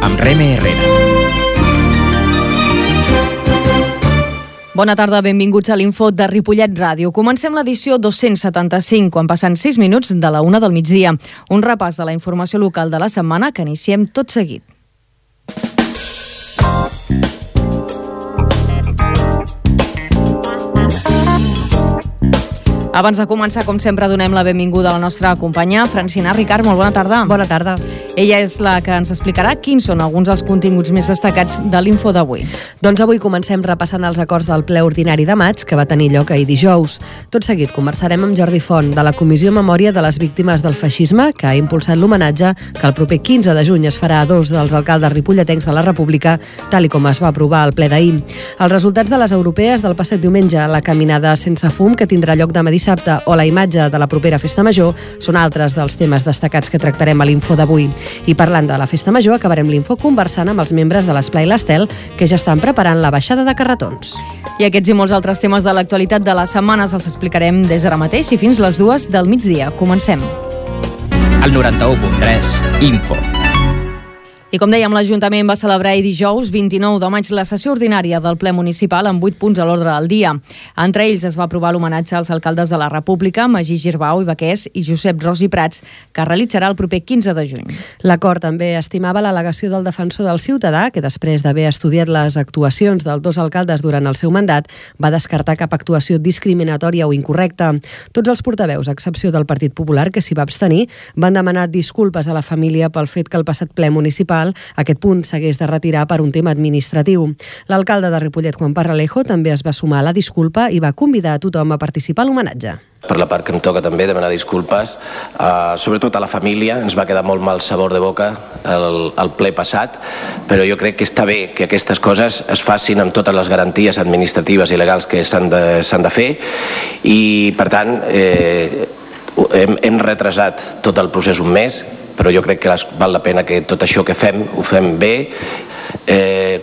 amb Reme Herrera. Bona tarda, benvinguts a l'Info de Ripollet Ràdio. Comencem l'edició 275, quan passen 6 minuts de la 1 del migdia. Un repàs de la informació local de la setmana que iniciem tot seguit. Abans de començar, com sempre, donem la benvinguda a la nostra companya, Francina Ricard. Molt bona tarda. Bona tarda. Ella és la que ens explicarà quins són alguns dels continguts més destacats de l'Info d'avui. Doncs avui comencem repassant els acords del ple ordinari de maig, que va tenir lloc ahir dijous. Tot seguit conversarem amb Jordi Font, de la Comissió Memòria de les Víctimes del Feixisme, que ha impulsat l'homenatge que el proper 15 de juny es farà a 2 dels alcaldes ripolletens de la República, tal i com es va aprovar al ple d'ahir. Els resultats de les europees del passat diumenge, la caminada sense fum que tindrà lloc demà dissabte o la imatge de la propera Festa Major són altres dels temes destacats que tractarem a l'Info d'avui. I parlant de la Festa Major, acabarem l'Info conversant amb els membres de l'Esplai l'Estel, que ja estan preparant la baixada de carretons. I aquests i molts altres temes de l'actualitat de les setmanes els explicarem des d'ara mateix i fins les 2 del migdia. Comencem. El 91.3 Info. I com dèiem, l'Ajuntament va celebrar ahir dijous 29 de maig la sessió ordinària del ple municipal amb 8 punts a l'ordre del dia. Entre ells es va aprovar l'homenatge als alcaldes de la República, Magí Girbau i Baqués i Josep Ros i Prats, que es realitzarà el proper 15 de juny. L'acord també estimava l'al·legació del defensor del ciutadà, que després d'haver estudiat les actuacions dels dos alcaldes durant el seu mandat, va descartar cap actuació discriminatòria o incorrecta. Tots els portaveus, a excepció del Partit Popular, que s'hi va abstenir, van demanar disculpes a la família pel fet que el passat ple municipal aquest punt s'hagués de retirar per un tema administratiu. L'alcalde de Ripollet, Juan Parralejo, també es va sumar a la disculpa i va convidar a tothom a participar a l'homenatge. Per la part que em toca també demanar disculpes, sobretot a la família. Ens va quedar molt mal sabor de boca el ple passat, però jo crec que està bé que aquestes coses es facin amb totes les garanties administratives i legals que s'han de fer i, per tant, hem retrasat tot el procés un mes, però jo crec que val la pena que tot això que fem, ho fem bé.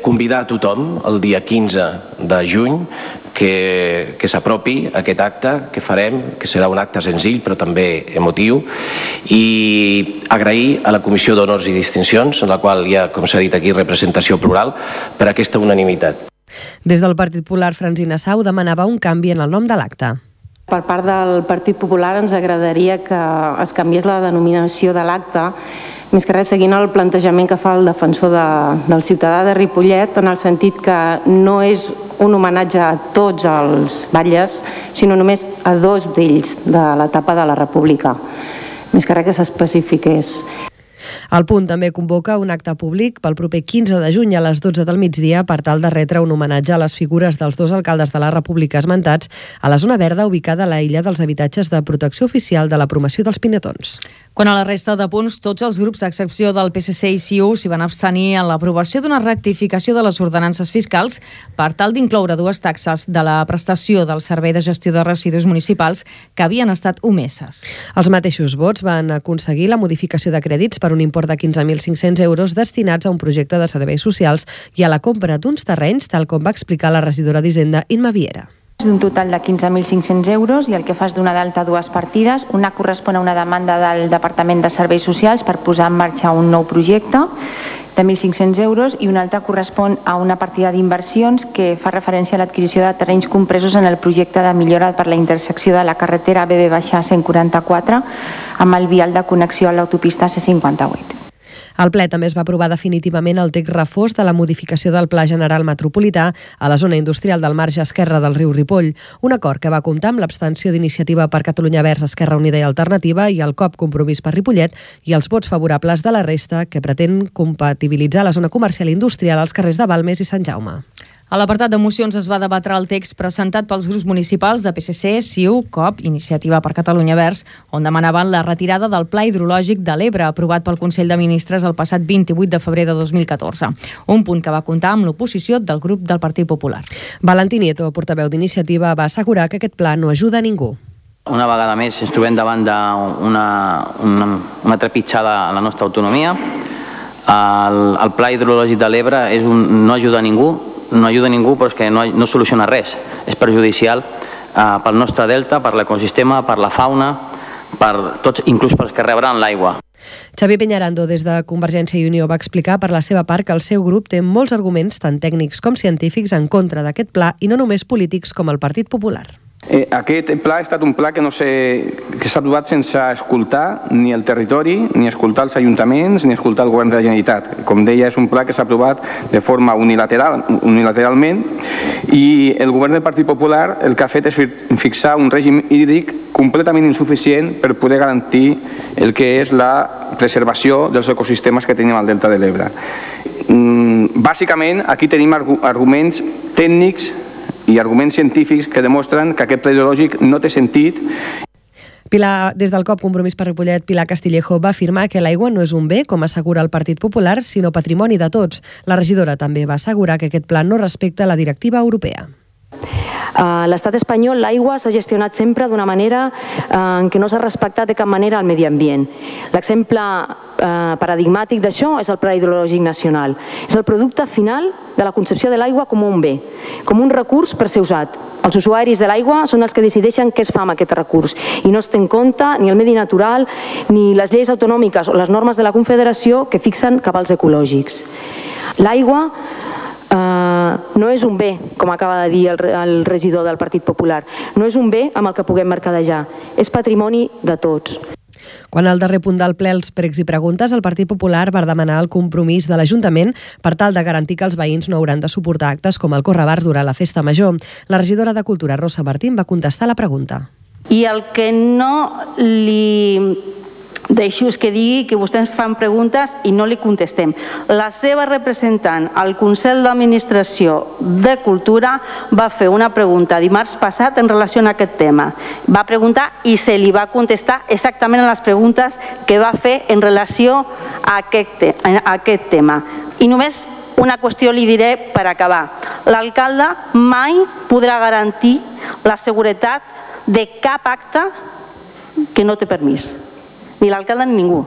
Convidar a tothom el dia 15 de juny que s'apropi aquest acte que farem, que serà un acte senzill però també emotiu, i agrair a la Comissió d'Honors i Distincions, en la qual hi ha, com s'ha dit aquí, representació plural, per aquesta unanimitat. Des del Partit Popular, Francina Sau demanava un canvi en el nom de l'acte. Per part del Partit Popular ens agradaria que es canviés la denominació de l'acte, més que res seguint el plantejament que fa el defensor del ciutadà de Ripollet, en el sentit que no és un homenatge a tots els batlles, sinó només a 2 d'ells de l'etapa de la República. Més que res que s'especifiqués. El punt també convoca un acte públic pel proper 15 de juny a les 12 del migdia per tal de retre un homenatge a les figures dels 2 alcaldes de la República esmentats a la zona verda ubicada a la illa dels habitatges de protecció oficial de la promoció dels Pinetons. Quant a la resta de punts, tots els grups, a excepció del PSC i CiU, s'hi van abstenir en l'aprovació d'una rectificació de les ordenances fiscals per tal d'incloure 2 taxes de la prestació del Servei de Gestió de Residus Municipals que havien estat omeses. Els mateixos vots van aconseguir la modificació de crèdits per un import de 15.500 euros destinats a un projecte de serveis socials i a la compra d'uns terrenys, tal com va explicar la regidora d'Hisenda, Imma Viera. D'un total de 15.500 euros i el que fa és donar d'alta 2 partides. Una correspon a una demanda del Departament de Serveis Socials per posar en marxa un nou projecte de 1.500 euros i una altra correspon a una partida d'inversions que fa referència a l'adquisició de terrenys compresos en el projecte de millora per la intersecció de la carretera BB-144 amb el vial de connexió a l'autopista C58. Al ple també es va aprovar definitivament el text refós de la modificació del Pla General Metropolità a la zona industrial del marge esquerre del riu Ripoll, un acord que va comptar amb l'abstenció d'Iniciativa per Catalunya Verds, Esquerra Unida i Alternativa i el COP Compromís per Ripollet i els vots favorables de la resta, que pretén compatibilitzar la zona comercial i industrial als carrers de Balmes i Sant Jaume. A l'apartat de mocions es va debatre el text presentat pels grups municipals de PSC, CiU, COP, Iniciativa per Catalunya Verds, on demanaven la retirada del Pla Hidrològic de l'Ebre, aprovat pel Consell de Ministres el passat 28 de febrer de 2014. Un punt que va comptar amb l'oposició del grup del Partit Popular. Valentí Nieto, portaveu d'Iniciativa, va assegurar que aquest pla no ajuda a ningú. Una vegada més ens trobem davant d'una trepitjada a la nostra autonomia. El Pla Hidrològic de l'Ebre no ajuda a ningú, però és que no soluciona res. És perjudicial pel nostre delta, per l'ecosistema, per la fauna, per tots, inclús pels que rebran l'aigua. Xavier Peñarando, des de Convergència i Unió, va explicar per la seva part que el seu grup té molts arguments, tant tècnics com científics, en contra d'aquest pla i no només polítics com el Partit Popular. Aquest pla ha estat un pla que s'ha aprovat sense escoltar ni el territori, ni escoltar els ajuntaments, ni escoltar el govern de la Generalitat. Com deia, és un pla que s'ha aprovat de forma unilateralment i el govern del Partit Popular el que ha fet és fixar un règim hídric completament insuficient per poder garantir el que és la preservació dels ecosistemes que tenim al Delta de l'Ebre. Bàsicament, aquí tenim arguments tècnics i arguments científics que demostren que aquest pla hidrològic no té sentit. Des del COP Compromís per Ripollet, Pilar Castillejo va afirmar que l'aigua no és un bé, com assegura el Partit Popular, sinó patrimoni de tots. La regidora també va assegurar que aquest pla no respecta la directiva europea. A l'estat espanyol l'aigua s'ha gestionat sempre d'una manera en què no s'ha respectat de cap manera el medi ambient. L'exemple paradigmàtic d'això és el Pla Hidrològic Nacional. És el producte final de la concepció de l'aigua com un bé, com un recurs per ser usat. Els usuaris de l'aigua són els que decideixen què es fa amb aquest recurs i no es té en compte ni el medi natural ni les lleis autonòmiques o les normes de la Confederació que fixen cabals ecològics. L'aigua no és un bé, com acaba de dir el regidor del Partit Popular. No és un bé amb el que puguem mercadejar. És patrimoni de tots. Quan al darrer punt del ple els pregs i preguntes, el Partit Popular va demanar el compromís de l'Ajuntament per tal de garantir que els veïns no hauran de suportar actes com el correbars durant la festa major. La regidora de Cultura, Rosa Martín, va contestar la pregunta. I el que no li deixo és que digui que vostès fan preguntes i no li contestem. La seva representant al Consell d'Administració de Cultura va fer una pregunta dimarts passat en relació a aquest tema. Va preguntar i se li va contestar exactament a les preguntes que va fer en relació a aquest tema. I només una qüestió li diré per acabar. L'alcalde mai podrà garantir la seguretat de cap acte que no té permís. Ni l'alcalde ni ningú.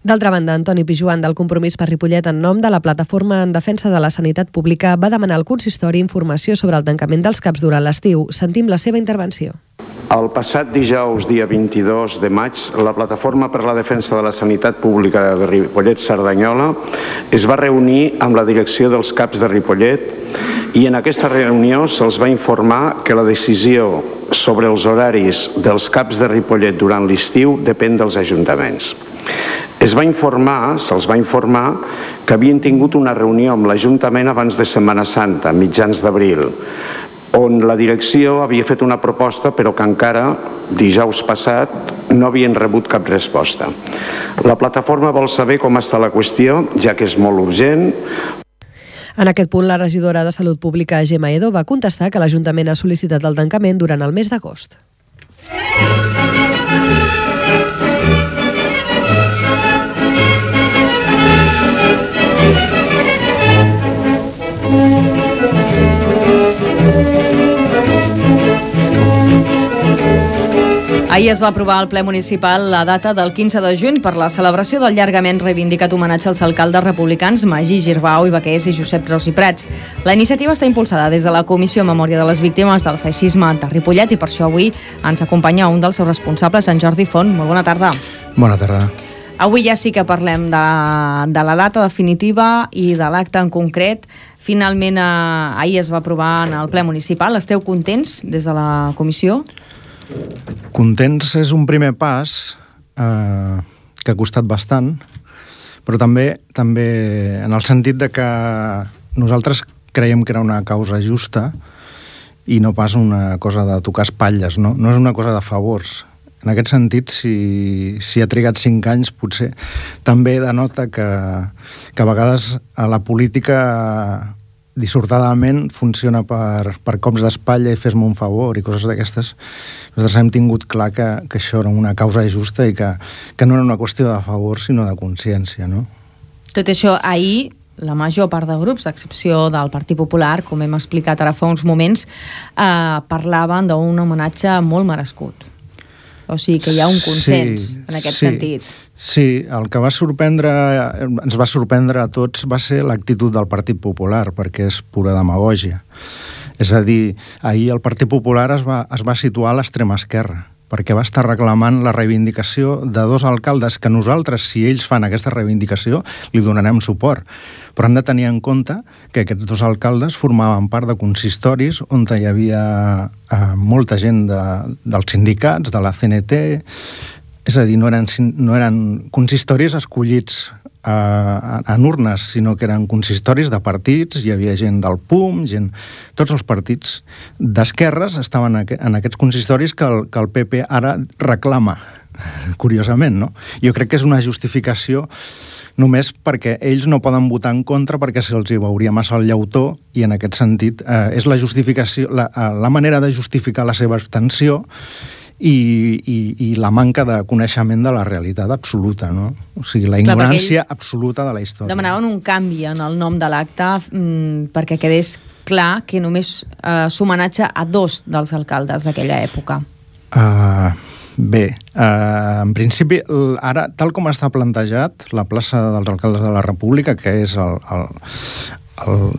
D'altra banda, Antoni Pijuan, del Compromís per Ripollet, en nom de la Plataforma en Defensa de la Sanitat Pública, va demanar al consistori informació sobre el tancament dels CAPs durant l'estiu. Sentim la seva intervenció. El passat dijous, dia 22 de maig, la Plataforma per la Defensa de la Sanitat Pública de Ripollet-Cerdanyola es va reunir amb la direcció dels CAPs de Ripollet i en aquesta reunió se'ls va informar que la decisió sobre els horaris dels CAPs de Ripollet durant l'estiu depèn dels ajuntaments. Se'ls va informar que havien tingut una reunió amb l'Ajuntament abans de Setmana Santa, mitjans d'abril, on la direcció havia fet una proposta però que encara, dijous passat, no havien rebut cap resposta. La plataforma vol saber com està la qüestió, ja que és molt urgent. En aquest punt, la regidora de Salut Pública, Gemma Edo, va contestar que l'Ajuntament ha sol·licitat el tancament durant el mes d'agost. Ahir es va aprovar al ple municipal la data del 15 de juny per la celebració del llargament reivindicat homenatge als alcaldes republicans Magí Girbau i Baqués i Josep Ros i Prats. La iniciativa està impulsada des de la Comissió Memòria de les Víctimes del Feixisme de Ripollet i per això avui ens acompanya un dels seus responsables, en Jordi Font. Molt bona tarda. Bona tarda. Avui ja sí que parlem de la data definitiva i de l'acte en concret. Finalment, ahir es va aprovar en el ple municipal. Esteu contents des de la comissió? Contents és un primer pas que ha costat bastant, però també en el sentit de que nosaltres creiem que era una causa justa i no pas una cosa de tocar espatlles, no és una cosa de favors. En aquest sentit, si ha trigat 5 anys, potser també denota que a vegades a la política dissortadament funciona per cops d'espatlla i fes-me un favor i coses d'aquestes. Nosaltres hem tingut clar que això era una causa justa i que no era una qüestió de favor, sinó de consciència, no? Tot això, ahir, la major part de grups, a excepció del Partit Popular, com hem explicat ara fa uns moments, parlaven d'un homenatge molt merescut. O sigui que hi ha un consens en aquest sentit. Sí, el que ens va sorprendre a tots va ser l'actitud del Partit Popular, perquè és pura demagògia. És a dir, ahir el Partit Popular es va situar a l'extrema esquerra perquè va estar reclamant la reivindicació de 2 alcaldes que nosaltres, si ells fan aquesta reivindicació, li donarem suport. Però han de tenir en compte que aquests 2 alcaldes formaven part de consistoris on hi havia molta gent dels sindicats, de la CNT, és a dir, no eren consistoris escollits en urnes, sinó que eren consistoris de partits, hi havia gent del PUM, tots els partits d'esquerres estaven en aquests consistoris que el PP ara reclama, curiosament, no? Jo crec que és una justificació només perquè ells no poden votar en contra perquè se'ls hi veuria massa el llautó i en aquest sentit és la justificació, la manera de justificar la seva abstenció i la manca de coneixement de la realitat absoluta, no? O sigui, la ignorància absoluta de la història. Demanaven un canvi en el nom de l'acte perquè quedés clar que només s'homenatja a 2 dels alcaldes d'aquella època. Bé, en principi, ara, tal com està plantejat, la plaça dels alcaldes de la República, que és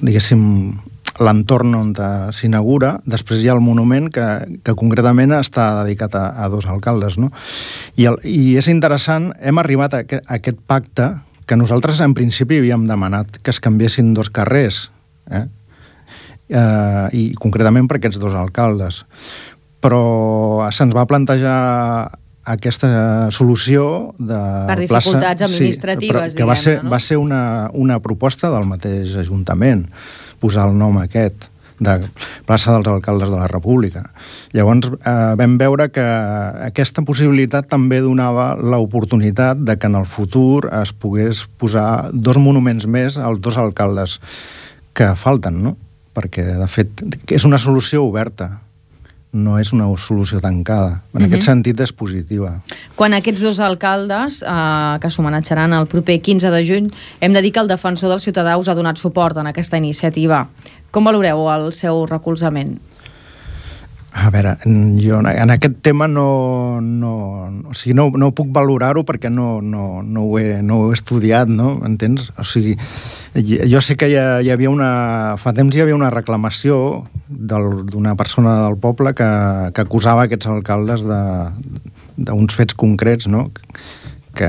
diguéssim, l'entorn on s'inaugura, després hi ha el monument que concretament està dedicat a 2 alcaldes, no? I és interessant, hem arribat a aquest pacte que nosaltres en principi havíem demanat que es canviessin 2 carrers, i concretament per aquests 2 alcaldes. Però se'ns va plantejar aquesta solució de per dificultats administratives, que va ser una proposta del mateix Ajuntament, posar el nom aquest de plaça dels alcaldes de la República. Llavors vam veure que aquesta possibilitat també donava l'oportunitat de que en el futur es pogués posar 2 monuments més als 2 alcaldes que falten, no? Perquè, de fet, és una solució oberta, no és una solució tancada. En aquest sentit és positiva. Quan aquests 2 alcaldes, que s'homenatjaran el proper 15 de juny, hem de dir que el defensor del ciutadà us ha donat suport en aquesta iniciativa. Com valoreu el seu recolzament? A veure, jo en aquest tema no puc valorar-ho perquè no ho he estudiat, no? Entens? O sigui, jo sé que hi havia fa temps hi havia una reclamació d'una persona del poble que acusava aquests alcaldes d'uns fets concrets, no? Que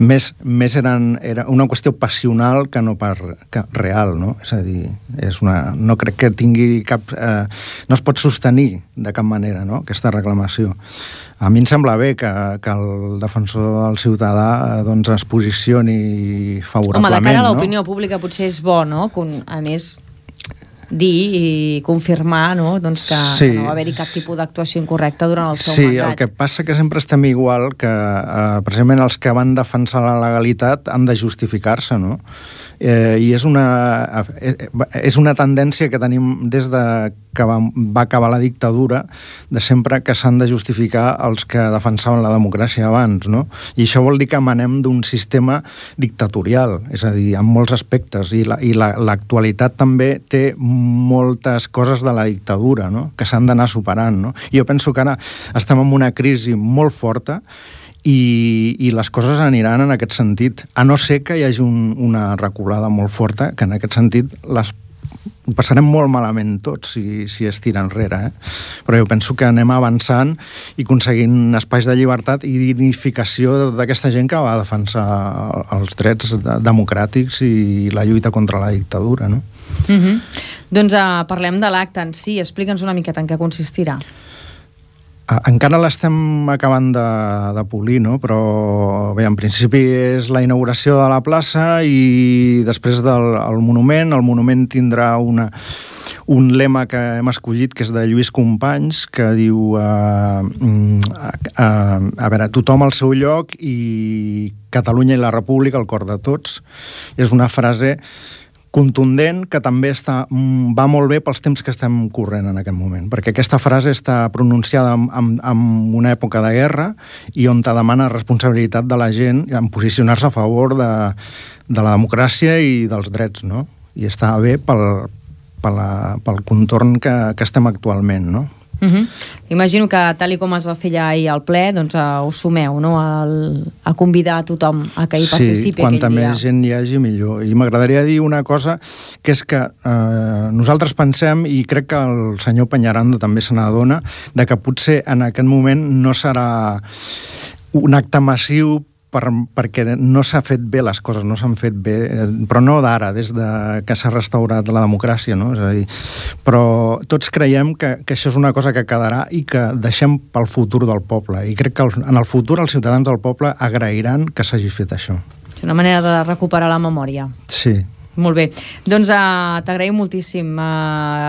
més era una qüestió passional que no real, no? És a dir, no crec que tingui cap... no es pot sostenir de cap manera, no?, aquesta reclamació. A mi em sembla bé que el defensor del ciutadà doncs es posicioni favorablement, no? Home, de cara a l'opinió pública potser és bo, no?, a més dir i confirmar, no?, doncs que no va haver-hi cap tipus d'actuació incorrecta durant el seu mandat. Sí, el que passa que sempre estem igual que precisament els que van defensar la legalitat han de justificar-se, no? I és una tendència que tenim des de que va acabar la dictadura, de sempre que s'han de justificar els que defensaven la democràcia abans, no? I això vol dir que emanem d'un sistema dictatorial, és a dir, en molts aspectes, i l'actualitat també té moltes coses de la dictadura, no?, que s'han d'anar superant, no? I jo penso que ara estem en una crisi molt forta i les coses aniran en aquest sentit, a no ser que hi hagi una reculada molt forta, que en aquest sentit ho passarem molt malament tots si es tira enrere, però jo penso que anem avançant i aconseguint espais de llibertat i dignificació d'aquesta gent que va defensar els drets democràtics i la lluita contra la dictadura, no? Doncs parlem de l'acte en si. Explica'ns una miqueta en què consistirà. Encara l'estem acabant de polir, no? Però bé, en principi és la inauguració de la plaça i després del monument. El monument tindrà un lema que hem escollit, que és de Lluís Companys, que diu a veure, tothom al seu lloc i Catalunya i la República al cor de tots. És una frase contundent que també va molt bé pels temps que estem corrent en aquest moment, perquè aquesta frase està pronunciada en una època de guerra i on te demana responsabilitat de la gent en posicionar-se a favor de la democràcia i dels drets, no? I està bé pel contorn que estem actualment, no? Imagino que, tal com es va fer ja ahir al ple, doncs us sumeu, no?, a convidar a tothom a que hi participi aquell dia. Sí, quanta més gent hi hagi, millor. I m'agradaria dir una cosa, que és que nosaltres pensem, i crec que el senyor Peñarando també se n'adona, de que potser en aquest moment no serà un acte massiu perquè no s'ha fet bé les coses, no s'han fet bé, però no d'ara, des que s'ha restaurat la democràcia, no? És a dir, però tots creiem que això és una cosa que quedarà i que deixem pel futur del poble, i crec que en el futur els ciutadans del poble agrairan que s'hagi fet això. És una manera de recuperar la memòria. Sí. Molt bé. Doncs t'agraïm moltíssim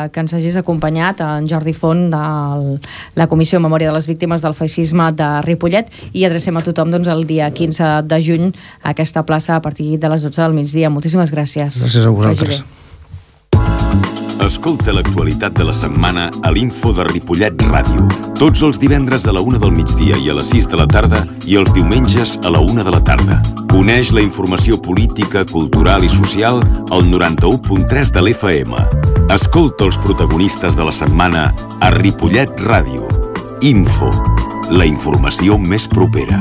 que ens hagis acompanyat, en Jordi Font, de la Comissió de Memòria de les Víctimes del Feixisme de Ripollet, i adrecem a tothom el dia 15 de juny a aquesta plaça a partir de les 12 del migdia. Moltíssimes gràcies. Gràcies a vosaltres. Escolta l'actualitat de la setmana a l'Info de Ripollet Ràdio. Tots els divendres a la 1 del migdia i a les 6 de la tarda i els diumenges a la 1 de la tarda. Coneix la informació política, cultural i social al 91.3 de l'FM. Escolta els protagonistes de la setmana a Ripollet Ràdio. Info, la informació més propera.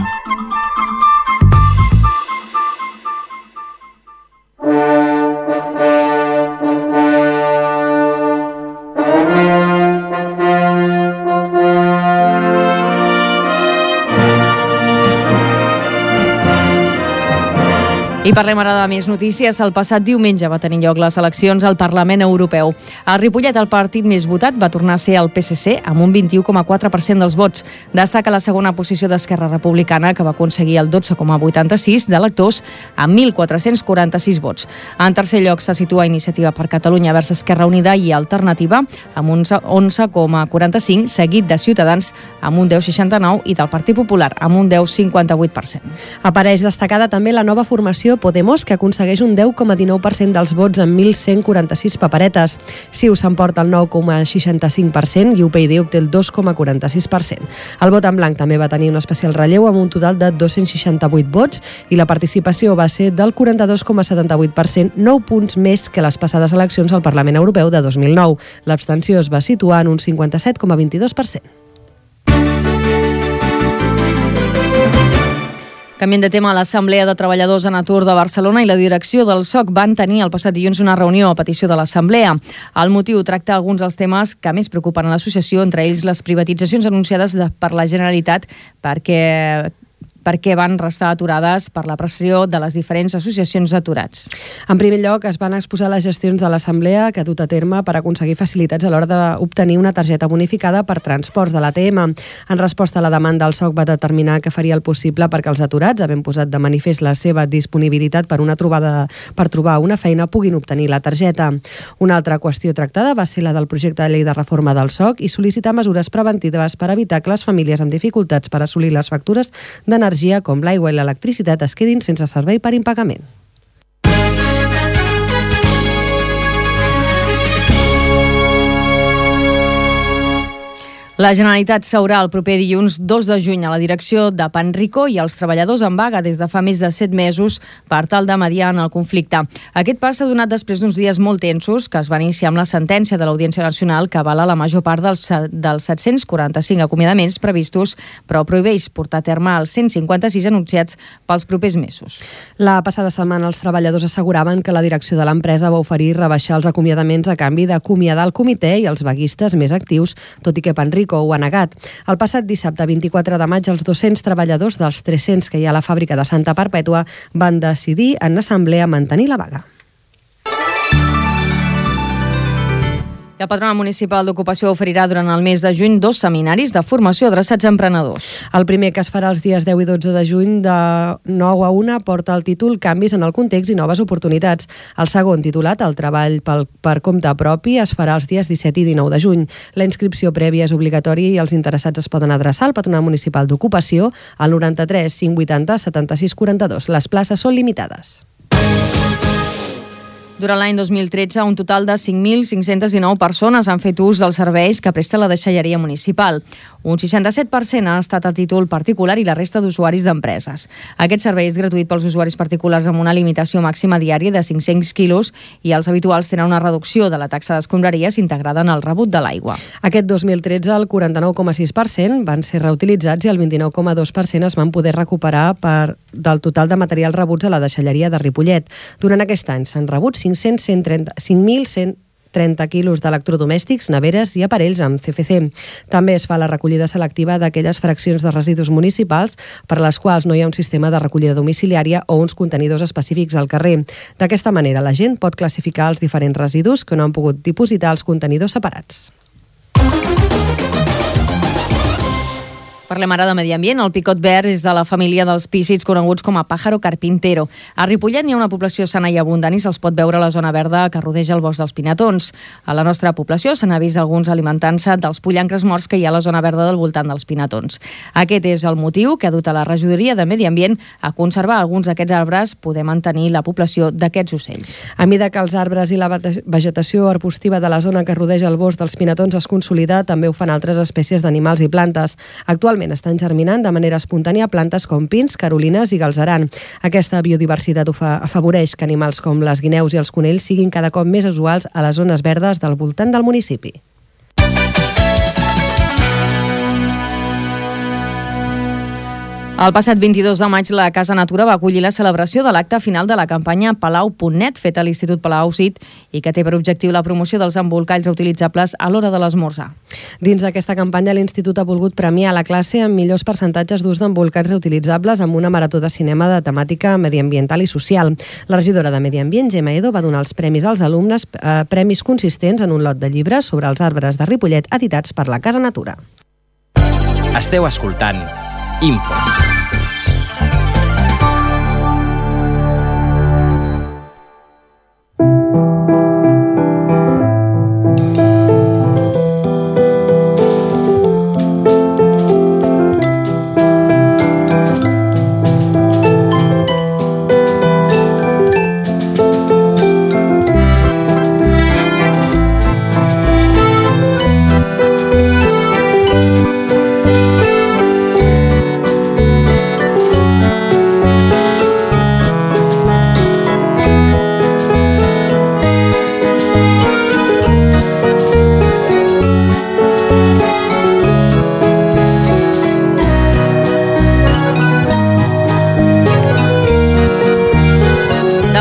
I parlem ara de més notícies. El passat diumenge va tenir lloc les eleccions al Parlament Europeu. A Ripollet, el partit més votat va tornar a ser el PSC, amb un 21,4% dels vots. Destaca la segona posició d'Esquerra Republicana, que va aconseguir el 12,86% d'electors, amb 1.446 vots. En tercer lloc se situa Iniciativa per Catalunya vers Esquerra Unida i Alternativa, amb un 11,45%, seguit de Ciutadans, amb un 10,69%, i del Partit Popular, amb un 10,58%. Apareix destacada també la nova formació Podemos, que aconsegueix un 10,19% dels vots amb 1.146 paperetes. CiU s'emporta el 9,65% i UPyD obté el 2,46%. El vot en blanc també va tenir un especial relleu amb un total de 268 vots i la participació va ser del 42,78%, 9 punts més que les passades eleccions al Parlament Europeu de 2009. L'abstenció es va situar en un 57,22%. Canviem de tema. L'Assemblea de Treballadors en Atur de Barcelona i la direcció del SOC van tenir el passat dilluns una reunió a petició de l'Assemblea. El motiu tracta alguns dels temes que més preocupen a l'associació, entre ells les privatitzacions anunciades per la Generalitat perquè van restar aturades per la pressió de les diferents associacions d'aturats. En primer lloc, es van exposar les gestions de l'Assemblea que ha dut a terme per aconseguir facilitats a l'hora d'obtenir una targeta bonificada per transports de l'ATM. En resposta a la demanda, el SOC va determinar que faria el possible perquè els aturats, havent posat de manifest la seva disponibilitat per trobar una feina, puguin obtenir la targeta. Una altra qüestió tractada va ser la del projecte de llei de reforma del SOC i sol·licitar mesures preventives per evitar que les famílies amb dificultats per assolir les factures d'energia com l'aigua i l'electricitat es quedin sense servei per impagament. La Generalitat s'haurà el proper dilluns 2 de juny a la direcció de Panrico i els treballadors en vaga des de fa més de 7 mesos per tal de mediar en el conflicte. Aquest pas s'ha donat després d'uns dies molt tensos que es van iniciar amb la sentència de l'Audiència Nacional que avala la major part dels 745 acomiadaments previstos, però prohibeix portar a terme els 156 anunciats pels propers mesos. La passada setmana els treballadors asseguraven que la direcció de l'empresa va oferir rebaixar els acomiadaments a canvi d'acomiadar el comitè i els vaguistes més actius, tot i que Panrico ho ha negat. El passat dissabte 24 de maig, els 200 treballadors dels 300 que hi ha a la fàbrica de Santa Perpètua van decidir en assemblea mantenir la vaga. La Patronal Municipal d'Ocupació oferirà durant el mes de juny 2 seminaris de formació adreçats a emprenedors. El primer, que es farà els dies 10 i 12 de juny de 9 a 1, porta el títol Canvis en el context i noves oportunitats. El segon, titulat El treball per compte propi, es farà els dies 17 i 19 de juny. La inscripció prèvia és obligatòria i els interessats es poden adreçar al Patronal Municipal d'Ocupació al 93 580 76 42. Les places són limitades. Durant l'any 2013, un total de 5.519 persones han fet ús dels serveis que presta la deixalleria municipal. Un 67% ha estat a títol particular i la resta d'usuaris d'empreses. Aquest servei és gratuït pels usuaris particulars amb una limitació màxima diària de 500 quilos i els habituals tenen una reducció de la taxa d'escombraries integrada en el rebut de l'aigua. Aquest 2013, el 49,6% van ser reutilitzats i el 29,2% es van poder recuperar del total de materials rebuts a la deixalleria de Ripollet. Durant aquest any s'han rebut 5.130 quilos d'electrodomèstics, neveres i aparells amb CFC. També es fa la recollida selectiva d'aquelles fraccions de residus municipals per a les quals no hi ha un sistema de recollida domiciliària o uns contenidors específics al carrer. D'aquesta manera, la gent pot classificar els diferents residus que no han pogut dipositar als contenidors separats. Parlem ara de medi ambient. El picot verd és de la família dels pícids coneguts com a pájaro carpintero. A Ripollet n'hi ha una població sana i abundant i se'ls pot veure a la zona verda que rodeja el bosc dels Pinatons. A la nostra població se n'ha vist alguns alimentant-se dels pollancres morts que hi ha a la zona verda del voltant dels Pinatons. Aquest és el motiu que ha dut a la regidoria de Medi Ambient a conservar alguns d'aquests arbres, poder mantenir la població d'aquests ocells. A mesura que els arbres i la vegetació arbustiva de la zona que rodeja el bosc dels Pinatons es consolida, també ho fan altres espècies d'animals i plantes. Actualment estan germinant de manera espontània plantes com pins, carolines i galzeran. Aquesta biodiversitat afavoreix que animals com les guineus i els conills siguin cada cop més usuals a les zones verdes del voltant del municipi. El passat 22 de maig, la Casa Natura va acollir la celebració de l'acte final de la campanya Palau.net, feta a l'Institut Palau CIT i que té per objectiu la promoció dels embolcalls reutilitzables a l'hora de l'esmorzar. Dins d'aquesta campanya, l'Institut ha volgut premiar la classe amb millors percentatges d'ús d'embolcalls reutilitzables amb una marató de cinema de temàtica mediambiental i social. La regidora de Medi Ambient, Gemma Edo, va donar els premis als alumnes, premis consistents en un lot de llibres sobre els arbres de Ripollet editats per la Casa Natura. Esteu escoltant Info.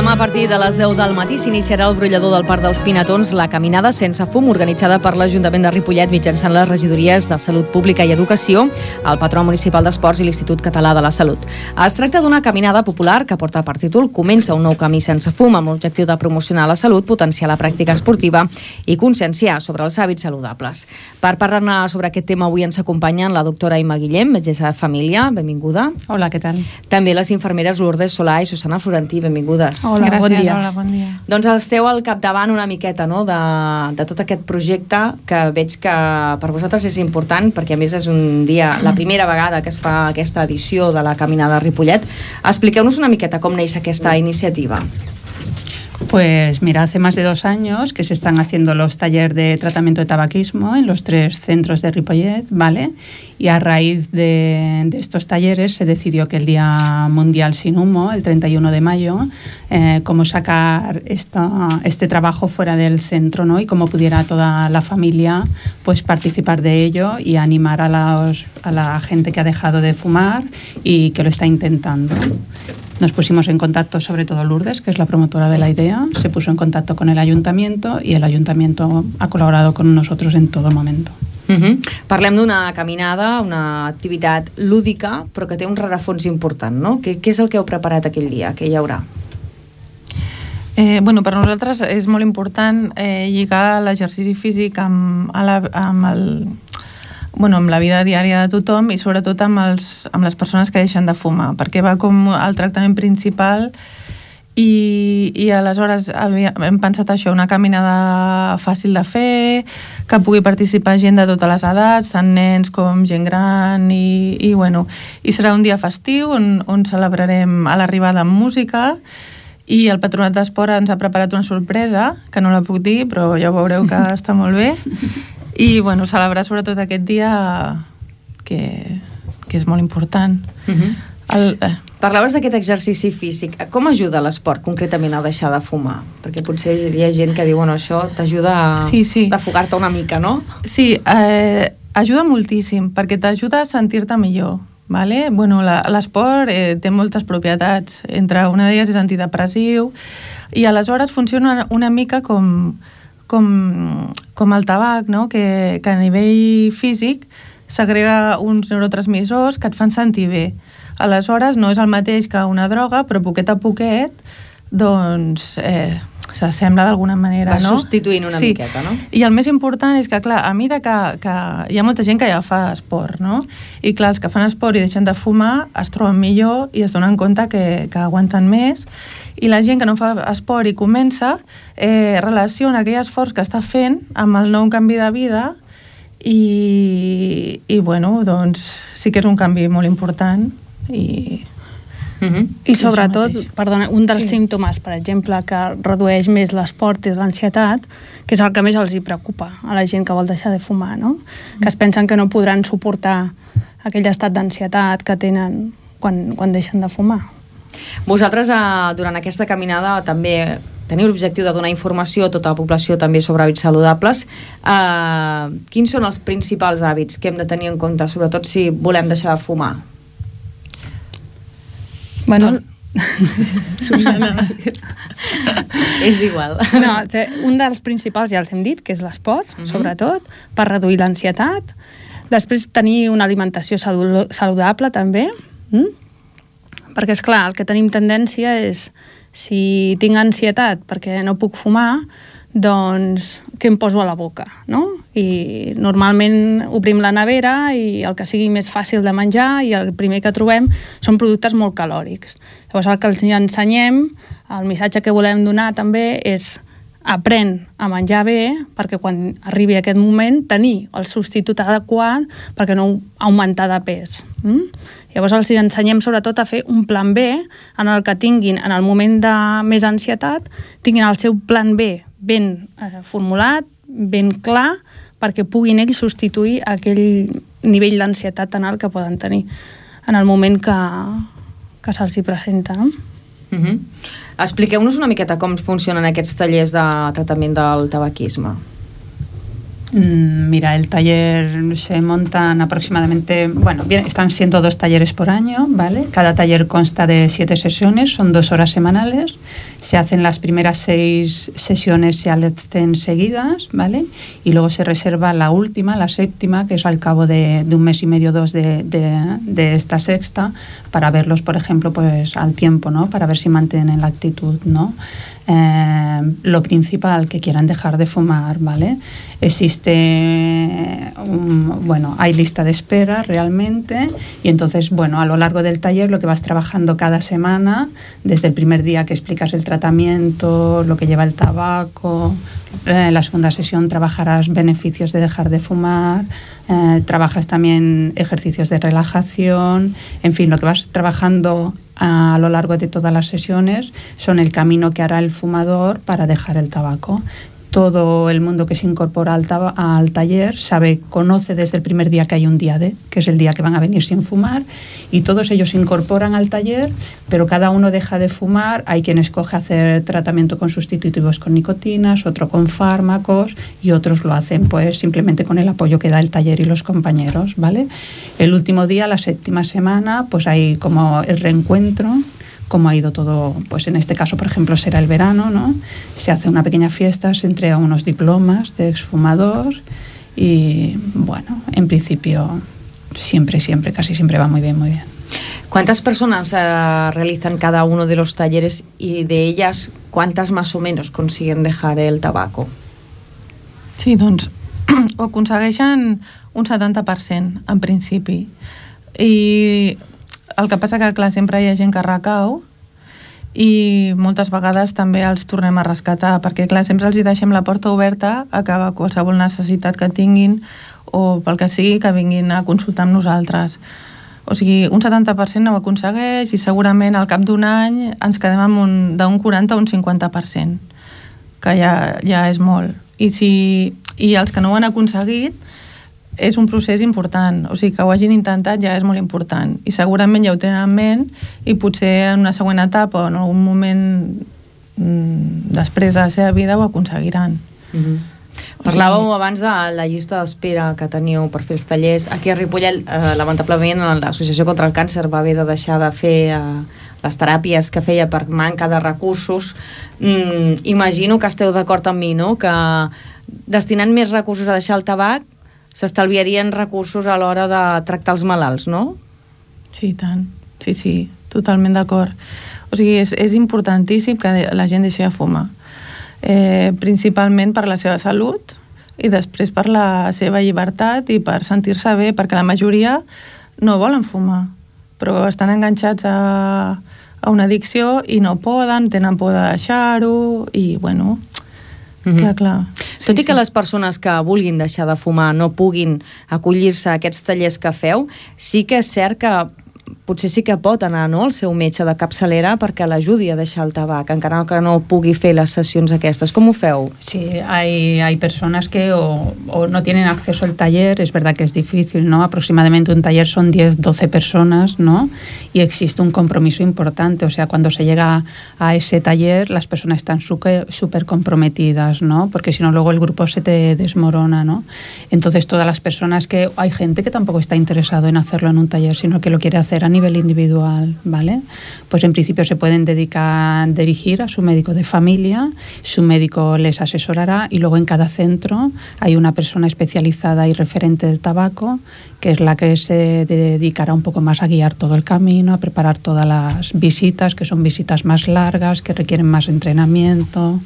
A partir de les 10 del matí s'iniciarà el brollador del Parc dels Pinatons, la caminada sense fum organitzada per l'Ajuntament de Ripollet mitjançant les regidories de Salut Pública i Educació, el Patró Municipal d'Esports i l'Institut Català de la Salut. Es tracta d'una caminada popular que porta per títol Comença un nou camí sense fum, amb l'objectiu de promocionar la salut, potenciar la pràctica esportiva i conscienciar sobre els hàbits saludables. Per parlar-ne sobre aquest tema avui ens acompanyen la doctora Imma Guillem, metgessa de família, benvinguda. Hola, què tal? També les infermeres Lourdes Solà i Susana Florentí, benvingudes. Hola, gràcies. Bon dia. Hola, bon dia. Doncs esteu al capdavant una miqueta, no?, de tot aquest projecte que veig que per vosaltres és important, perquè a més és un dia, la primera vegada que es fa aquesta edició de la Caminada Ripollet. Expliqueu-nos una miqueta com neix aquesta iniciativa. Pues mira, hace más de 2 años que se están haciendo los talleres de tratamiento de tabaquismo en los 3 centros de Ripollet, ¿vale? Y a raíz de estos talleres se decidió que el Día Mundial Sin Humo, el 31 de mayo, cómo sacar este trabajo fuera del centro, ¿no? Y cómo pudiera toda la familia pues participar de ello y animar a la gente que ha dejado de fumar y que lo está intentando. Nos pusimos en contacto, sobre todo Lourdes, que es la promotora de la idea, se puso en contacto con el ayuntamiento y el ayuntamiento ha colaborado con nosotros en todo momento. Parlem d'una caminada, una activitat lúdica, però que té un rerefons important, no? Què és el que heu preparat aquell dia? Què hi haurà? Bueno, per nosaltres és molt important lligar l'exercici físic amb la vida diària de tothom i sobretot amb les persones que deixen de fumar, perquè va com el tractament principal i aleshores hem pensat això, una caminada fàcil de fer, que pugui participar gent de totes les edats, tant nens com gent gran i serà un dia festiu on celebrarem a l'arribada amb música I el Patronat d'Esport ens ha preparat una sorpresa, que no la puc dir, però ja veureu que està molt bé. I, bueno, celebrar sobretot aquest dia que és molt important. Parlaves d'aquest exercici físic. Com ajuda l'esport concretament a deixar de fumar? Perquè potser hi ha gent que diu, bueno, això t'ajuda a fugar-te una mica, no? Sí, ajuda moltíssim, perquè t'ajuda a sentir-te millor. Vale? Bueno, l'esport té moltes propietats, entre una d'elles és antidepressiu, i aleshores funciona una mica com el tabac, no? Que a nivell físic segrega uns neurotransmissors que et fan sentir bé. Aleshores no és el mateix que una droga, però poquet a poquet doncs s'assembla d'alguna manera, no? Va substituint una miqueta, no? I el més important és que, clar, a mesura que hi ha molta gent que ja fa esport, no? I, clar, els que fan esport i deixen de fumar es troben millor i es donen compte que aguanten més. I la gent que no fa esport i comença relaciona aquell esforç que està fent amb el nou canvi de vida i bueno, doncs sí que és un canvi molt important I sobretot, perdona, un dels símptomes, per exemple, que redueix més l'esport és l'ansietat, que és el que més els hi preocupa a la gent que vol deixar de fumar, no? Que es pensen que no podran suportar aquell estat d'ansietat que tenen quan deixen de fumar. Vosaltres, durant aquesta caminada, també teniu l'objectiu de donar informació a tota la població també sobre hàbits saludables. Quins són els principals hàbits que hem de tenir en compte, sobretot si volem deixar de fumar? Bueno, Susana, és igual. No, un dels principals ja els hem dit, que és l'esport, sobretot, per reduir l'ansietat. Després tenir una alimentació saludable, també. Perquè, esclar, el que tenim tendència és, si tinc ansietat perquè no puc fumar, doncs què em poso a la boca, no? I normalment obrim la nevera i el que sigui més fàcil de menjar i el primer que trobem són productes molt calòrics. Llavors el que els ensenyem, el missatge que volem donar també és aprèn a menjar bé perquè quan arribi aquest moment tenir el substitut adequat perquè no augmentar de pes. Llavors els ensenyem sobretot a fer un plan B en el que tinguin, en el moment de més ansietat, tinguin el seu plan B ben formulat, ben clar, perquè puguin ells substituir aquell nivell d'ansietat tan alt que poden tenir en el moment que se'ls hi presenta, no? Expliqueu-nos una miqueta com funcionen aquests tallers de tractament del tabaquisme. Mira, el taller se montan aproximadamente, bueno, están siendo 2 talleres por año, ¿vale? Cada taller consta de 7 sesiones, son 2 horas semanales. Se hacen las primeras 6 sesiones, se hacen seguidas, ¿vale? Y luego se reserva la última, la 7ª, que es al cabo de un mes y medio, 2 de esta 6ª, para verlos, por ejemplo, pues al tiempo, ¿no? Para ver si mantienen la actitud, ¿no? Lo principal, que quieran dejar de fumar, ¿vale? Hay lista de espera realmente, y entonces, bueno, a lo largo del taller lo que vas trabajando cada semana, desde el primer día que explicas el tratamiento, lo que lleva el tabaco, la segunda sesión trabajarás beneficios de dejar de fumar, trabajas también ejercicios de relajación, en fin, lo que vas trabajando a lo largo de todas las sesiones son el camino que hará el fumador para dejar el tabaco. Todo el mundo que se incorpora al taller conoce desde el primer día que hay un día D, que es el día que van a venir sin fumar, y todos ellos se incorporan al taller, pero cada uno deja de fumar. Hay quien escoge hacer tratamiento con sustitutivos con nicotinas, otro con fármacos, y otros lo hacen pues simplemente con el apoyo que da el taller y los compañeros, ¿vale? El último día, la 7ª semana, pues hay como el reencuentro, cómo ha ido todo, pues en este caso, por ejemplo, será el verano, ¿no? Se hace una pequeña fiesta, se entrega unos diplomas de exfumador y, bueno, en principio, casi siempre va muy bien, muy bien. ¿Cuántas personas realizan cada uno de los talleres y de ellas cuántas más o menos consiguen dejar el tabaco? Sí, doncs ho aconsegueixen un 70% en principi. I el que passa que, clar, sempre hi ha gent que recau i moltes vegades també els tornem a rescatar, perquè, clar, sempre els hi deixem la porta oberta a que qualsevol necessitat que tinguin o pel que sigui que vinguin a consultar amb nosaltres. O sigui, un 70% no ho aconsegueix i segurament al cap d'un any ens quedem amb d'un 40 a un 50%, que ja és molt. I els que no ho han aconseguit és un procés important, o sigui, que ho hagin intentat ja és molt important i segurament ja ho tenen en ment i potser en una següent etapa o en algun moment després de la seva vida ho aconseguiran. Parlàveu abans de la llista d'espera que teníeu per fer els tallers. Aquí a Ripollet, lamentablement, l'Associació contra el Càncer va haver de deixar de fer les teràpies que feia per manca de recursos. Imagino que esteu d'acord amb mi, no? Que destinant més recursos a deixar el tabac s'estalviarien recursos a l'hora de tractar els malalts, no? Sí, i tant. Sí, totalment d'acord. O sigui, és importantíssim que la gent deixi de fumar. Principalment per la seva salut i després per la seva llibertat i per sentir-se bé, perquè la majoria no volen fumar, però estan enganxats a una addicció i no poden, tenen por de deixar-ho i, bueno, clar. Tot i que les persones que vulguin deixar de fumar no puguin acollir-se a aquests tallers que feu, sí que és cert que potser sí que pot anar, no?, al seu metge de capçalera perquè l'ajudi a deixar el tabac, encara que no pugui fer les sessions aquestes. ¿Cómo feu? Sí, hay personas que o no tienen acceso al taller, es verdad que es difícil, ¿no? Aproximadamente un taller son 10, 12 personas, ¿no? Y existe un compromiso importante, o sea, cuando se llega a ese taller, las personas están súper comprometidas, ¿no? Porque si no, luego el grupo se te desmorona, ¿no? Entonces, todas las personas que... Hay gente que tampoco está interesado en hacerlo en un taller, sino que lo quiere hacer a nivel individual, ¿vale? Pues en principio se pueden dirigir a su médico de familia, su médico les asesorará y luego en cada centro hay una persona especializada y referente del tabaco que es la que se dedicará un poco más a guiar todo el camino, a preparar todas las visitas, que son visitas más largas, que requieren más entrenamiento.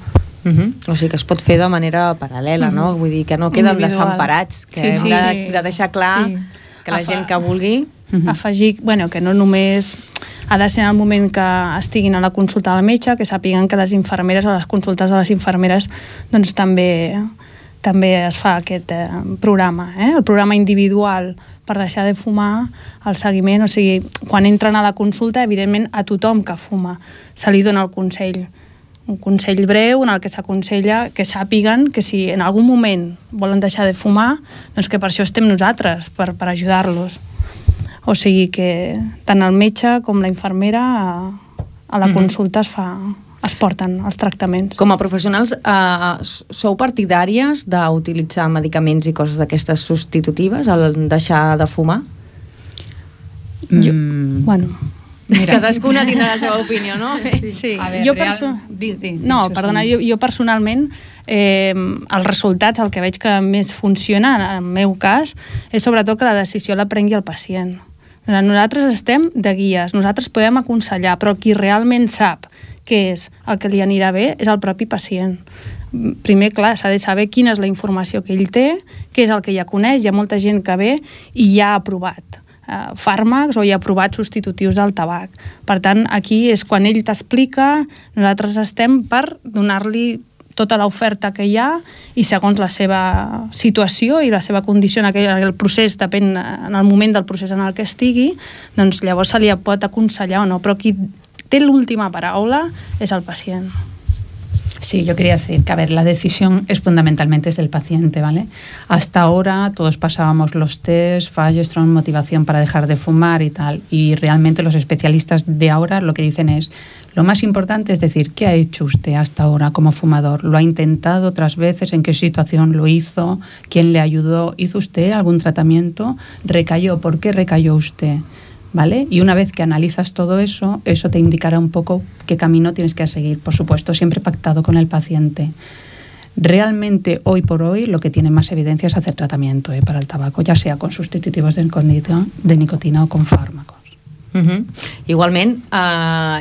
O sigui que es pot fer de manera paral·lela, no? Vull dir que no queden desemparats, que hem de deixar clar que la gent que vulgui... Afegir, que no només ha de ser en el moment que estiguin a la consulta del metge, que sàpiguen que les infermeres, a les consultes de les infermeres, doncs també es fa aquest programa, el programa individual per deixar de fumar, el seguiment, o sigui, quan entren a la consulta, evidentment a tothom que fuma se li dona el consell, un consell breu en el que s'aconsella que sàpiguen que si en algun moment volen deixar de fumar, doncs que per això estem nosaltres, per ajudar-los. O sigui que tant el metge com la infermera a la consulta es porten els tractaments. Com a professionals, sou partidàries d'utilitzar medicaments i coses d'aquestes substitutives al deixar de fumar? Cadascuna tindrà la seva opinió, no? Sí. Jo personalment els resultats, el que veig que més funciona en el meu cas és sobretot que la decisió la prengui el pacient. Nosaltres estem de guies, nosaltres podem aconsellar, però qui realment sap què és el que li anirà bé és el propi pacient. Primer, clar, s'ha de saber quina és la informació que ell té, què és el que ja coneix, hi ha molta gent que ve i ja ha provat fàrmacs o ja ha provat substitutius del tabac. Per tant, aquí és quan ell t'explica, nosaltres estem per donar-li tota l'oferta que hi ha i segons la seva situació i la seva condició en el procés, depèn en el moment del procés en el que estigui, doncs llavors se li pot aconsellar o no, però qui té l'última paraula és el pacient. Sí, yo quería decir que, la decisión es fundamentalmente es del paciente, ¿vale? Hasta ahora todos pasábamos los test, Fageström, motivación para dejar de fumar y tal, y realmente los especialistas de ahora lo que dicen es, lo más importante es decir, ¿qué ha hecho usted hasta ahora como fumador? ¿Lo ha intentado otras veces? ¿En qué situación lo hizo? ¿Quién le ayudó? ¿Hizo usted algún tratamiento? ¿Recayó? ¿Por qué recayó usted? ¿Vale? Y una vez que analizas todo eso, eso te indicará un poco qué camino tienes que seguir, por supuesto, siempre pactado con el paciente. Realmente, hoy por hoy, lo que tiene más evidencia es hacer tratamiento para el tabaco, ya sea con sustitutivos de nicotina o con fármacos. Igualment,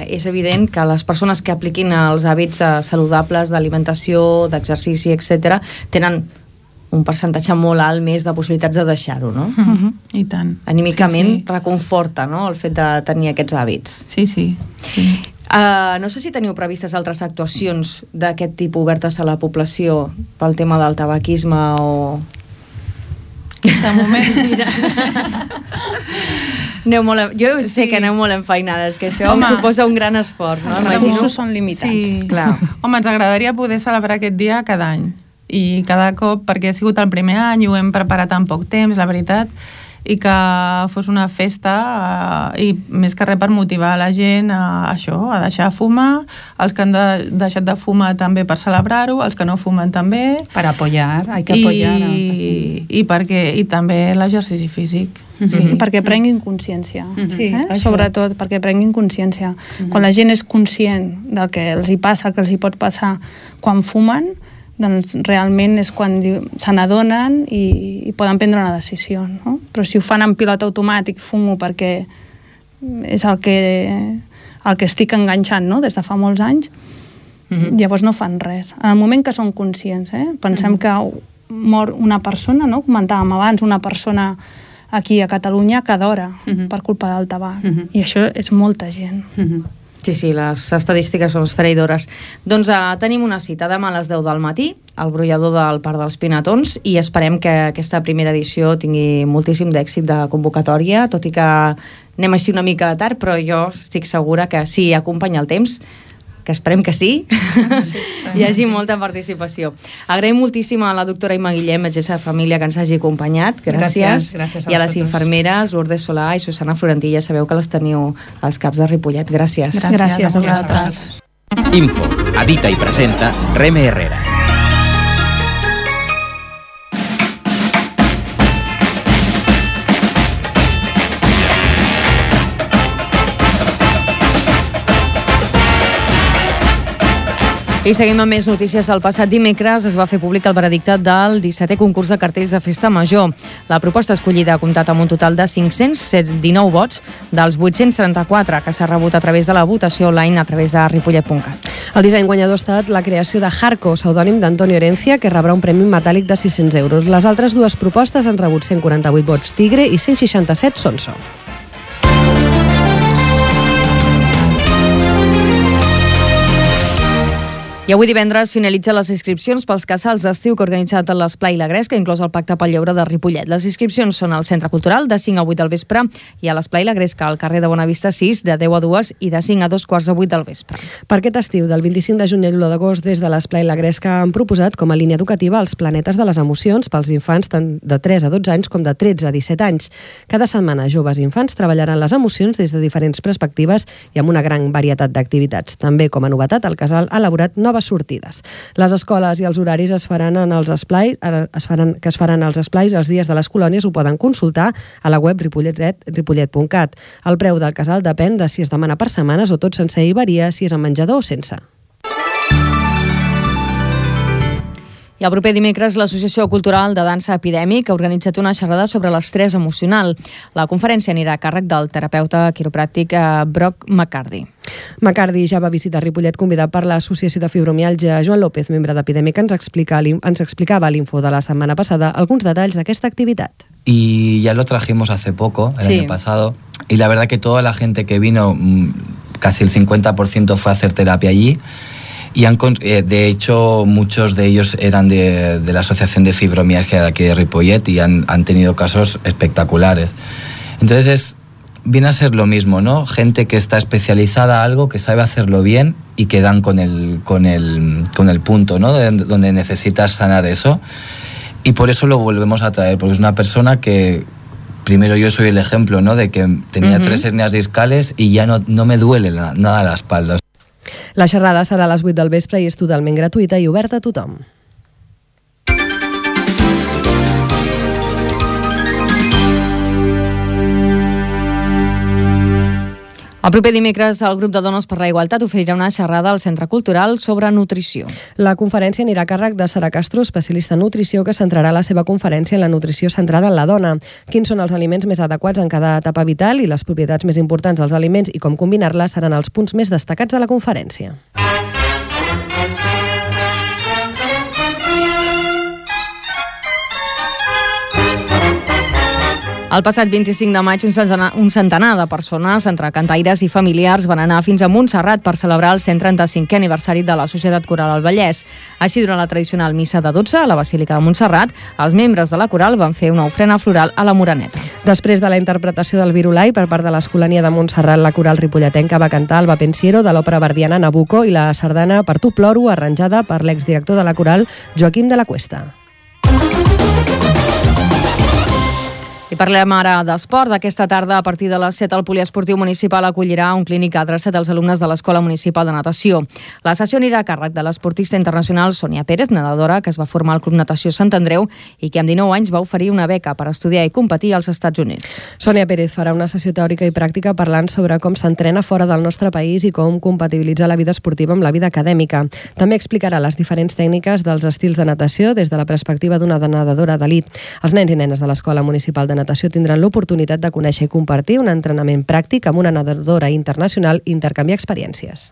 és evident que les persones que apliquin els hàbits saludables d'alimentació, d'exercici, etc., tenen un percentatge molt alt més de possibilitats de deixar-ho, no? I tant. Anímicament reconforta, no?, el fet de tenir aquests hàbits. Sí. No sé si teniu previstes altres actuacions d'aquest tipus obertes a la població pel tema del tabaquisme o... De moment, mira. Jo sé que aneu molt enfeinades, que això em suposa un gran esforç, no? Els recursos són limitats. Sí. Clar. Home, ens agradaria poder celebrar aquest dia cada any. I cada cop, perquè ha sigut el primer any, ho hem preparat en poc temps, la veritat, i que fos una festa i més que res per motivar la gent a això, a deixar de fumar, els que han deixat de fumar també per celebrar-ho, els que no fumen també. Per apoyar, hay que apoyar. I també l'exercici físic. Sí. Perquè prenguin consciència, sobretot perquè prenguin consciència. Quan la gent és conscient del que els hi passa, que els hi pot passar quan fumen, doncs realment és quan se n'adonen i poden prendre una decisió, no? Però si ho fan en pilot automàtic, fumo perquè és el que estic enganxant, no?, des de fa molts anys, llavors no fan res. En el moment que són conscients, pensem que mor una persona, no?, comentàvem abans, una persona aquí a Catalunya cada hora per culpa del tabac, i això és molta gent. Sí, les estadístiques són esfereïdores. Doncs tenim una cita demà a les 10 del matí, al brollador del Parc dels Pinatons, i esperem que aquesta primera edició tingui moltíssim d'èxit de convocatòria, tot i que anem així una mica tard, però jo estic segura que si acompanya el temps, que esperem que sí, hi hagi molta participació. Agraïm moltíssim a la doctora Imma Guillem, metgessa de família, que ens hagi acompanyat. Gràcies. I a les infermeres Lourdes Solà i Susana Florentí, ja sabeu que les teniu als CAPs de Ripollet. Gràcies. Gràcies a vosaltres. Info, edita i presenta Reme Herrera. I seguim amb més notícies. El passat dimecres es va fer públic el veredicte del 17è concurs de cartells de Festa Major. La proposta escollida ha comptat amb un total de 519 vots dels 834 que s'ha rebut a través de la votació online a través de ripollet.cat. El disseny guanyador ha estat la creació de Harco, pseudònim d'Antonio Herencia, que rebrà un premi metàl·lic de 600 euros. Les altres dues propostes han rebut 148 vots Tigre i 167 Sonso. I avui divendres finalitzen les inscripcions pels casals d'estiu que ha organitzat l'Esplai La Gresca, inclòs el Pacte pel Lleure de Ripollet. Les inscripcions són al Centre Cultural de 5 a 8 del vespre i a l'Esplai La Gresca al carrer de Bonavista 6 de 10 a 2 i de 5 a 2:15 del vespre. Per aquest estiu, del 25 de juny a l'1 d'agost, des de l'Esplai La Gresca han proposat com a línia educativa els planetes de les emocions pels infants tant de 3 a 12 anys com de 13 a 17 anys. Cada setmana, joves i infants treballaran les emocions des de diferents perspectives i amb una gran varietat d'activitats. També, com a novetat, el casal ha elaborat noves sortides. Les escoles i els horaris es faran en els esplais, als esplais els dies de les colònies ho poden consultar a la web ripollet.cat. El preu del casal depèn de si es demana per setmanes o tot sencer i varia si és amb menjador o sense. I el proper dimecres l'Associació Cultural de Dansa Epidèmic ha organitzat una xerrada sobre l'estrès emocional. La conferència anirà a càrrec del terapeuta quiropràctic Brock McCarthy. McCarthy ja va visitar Ripollet convidat per l'Associació de Fibromialgia. Joan López, membre d'Epidèmic, ens explicava a l'Info de la setmana passada alguns detalls d'aquesta activitat. Y ya lo trajimos hace poco, el año pasado, y la verdad que toda la gente que vino, casi el 50% fue a hacer terapia allí. Y de hecho muchos de ellos eran de la Asociación de Fibromialgia de aquí de Ripollet y han tenido casos espectaculares. Entonces viene a ser lo mismo, ¿no? Gente que está especializada a algo, que sabe hacerlo bien y que dan con el punto, ¿no? Donde necesitas sanar eso. Y por eso lo volvemos a traer, porque es una persona que, primero yo soy el ejemplo, ¿no? De que tenía 3 hernias discales y ya no me duele nada la espalda. La xerrada serà a les 8 del vespre i és totalment gratuïta i oberta a tothom. El proper dimecres el grup de Dones per la Igualtat oferirà una xerrada al Centre Cultural sobre nutrició. La conferència anirà a càrrec de Sara Castro, especialista en nutrició, que centrarà la seva conferència en la nutrició centrada en la dona. Quins són els aliments més adequats en cada etapa vital i les propietats més importants dels aliments i com combinar-les seran els punts més destacats de la conferència. El passat 25 de maig, un centenar de persones, entre cantaires i familiars, van anar fins a Montserrat per celebrar el 135è aniversari de la Societat Coral al Vallès. Així, durant la tradicional missa de 12 a la Basílica de Montserrat, els membres de la coral van fer una ofrena floral a la Moreneta. Després de la interpretació del Virulai per part de l'Escolania de Montserrat, la coral ripolletenca va cantar el Va Pensiero de l'òpera verdiana Nabucco i la sardana Per tu ploro, arranjada per l'exdirector de la coral, Joaquim de la Cuesta. I parlem ara d'esport. Aquesta tarda, a partir de les 7, el Poliesportiu Municipal acollirà un clínic adreçat als alumnes de l'Escola Municipal de Natació. La sessió anirà a càrrec de l'esportista internacional Sònia Pérez, nedadora que es va formar al Club Natació Sant Andreu i que amb 19 anys va oferir una beca per estudiar i competir als Estats Units. Sònia Pérez farà una sessió teòrica i pràctica parlant sobre com s'entrena fora del nostre país i com compatibilitzar la vida esportiva amb la vida acadèmica. També explicarà les diferents tècniques dels estils de natació des de la perspectiva d'una nedadora d'elit. Els nens i nenes de l'Escola Municipal de Natació tindran l'oportunitat de conèixer i compartir un entrenament pràctic amb una nedadora internacional i intercanviar experiències.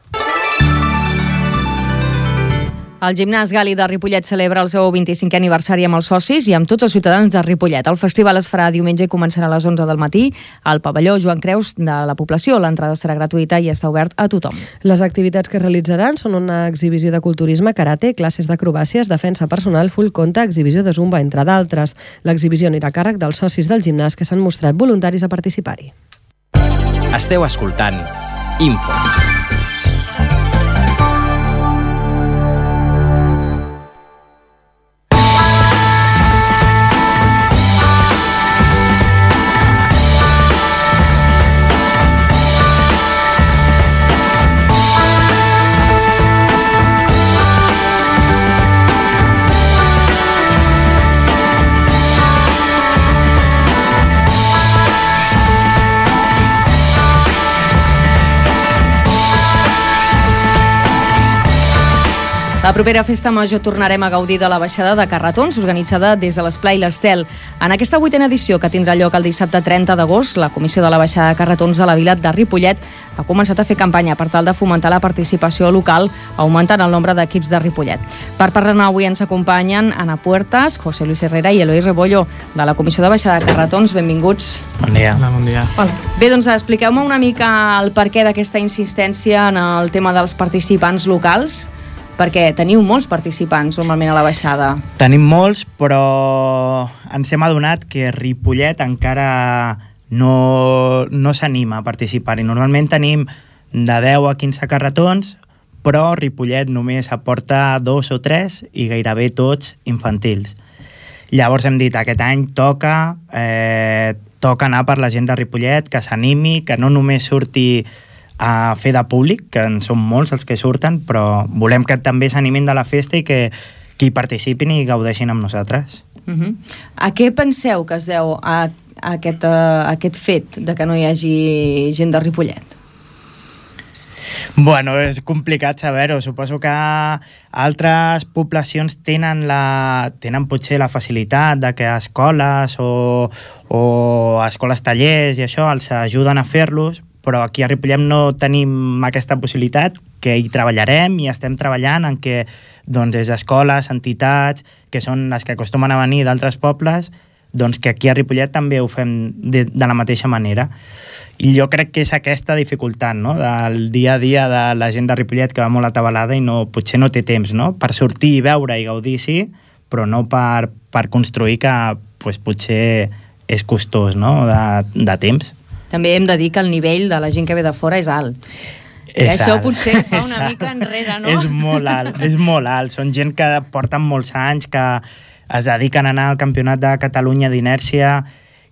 El gimnàs Gali de Ripollet celebra el seu 25è aniversari amb els socis i amb tots els ciutadans de Ripollet. El festival es farà diumenge i començarà a les 11 del matí al pavelló Joan Creus de la població. L'entrada serà gratuïta i està obert a tothom. Les activitats que es realitzaran són una exhibició de culturisme, karate, classes d'acrobàcies, defensa personal, full conta, exhibició de zumba, entre d'altres. L'exhibició anirà a càrrec dels socis del gimnàs que s'han mostrat voluntaris a participar-hi. Esteu escoltant Info. La propera festa major tornarem a gaudir de la baixada de carretons organitzada des de l'Esplai l'Estel. En aquesta 8a edició, que tindrà lloc el dissabte 30 d'agost, la Comissió de la Baixada de Carretons de la Vila de Ripollet ha començat a fer campanya per tal de fomentar la participació local, augmentant el nombre d'equips de Ripollet. Per parlar avui ens acompanyen Ana Puertas, José Luis Herrera i Eloi Rebollo, de la Comissió de Baixada de Carretons. Benvinguts. Bon dia. Hola, bon dia. Bé, doncs expliqueu-me una mica el perquè d'aquesta insistència en el tema dels participants locals, perquè teniu molts participants normalment a la baixada. Tenim molts, però ens hem adonat que Ripollet encara no s'anima a participar-hi. Normalment tenim de 10 a 15 carretons, però Ripollet només aporta 2 o 3 i gairebé tots infantils. Llavors hem dit, aquest any toca anar per la gent de Ripollet, que s'animi, que no només surti a fer de públic, que en són molts els que surten, però volem que també s'animin de la festa i que hi participin i gaudeixin amb nosaltres. A què penseu que es deu a aquest fet de que no hi hagi gent de Ripollet? Bueno, és complicat saber-ho. Suposo que altres poblacions tenen potser la facilitat de que escoles o escoles tallers i això els ajuden a fer-los, però aquí a Ripollet no tenim aquesta possibilitat, que hi treballarem i estem treballant en que des d'escoles, entitats, que són les que acostumen a venir d'altres pobles, doncs que aquí a Ripollet també ho fem de la mateixa manera. I jo crec que és aquesta dificultat, no?, del dia a dia de la gent de Ripollet, que va molt atabalada i potser no té temps, no?, per sortir i veure i gaudir, sí, però no per construir, que potser és costós, no?, de temps. També hem de dir que el nivell de la gent que ve de fora és alt. I això potser fa una mica enrere, no? És molt alt, és molt alt. Són gent que porten molts anys, que es dediquen a anar al Campionat de Catalunya d'inèrcia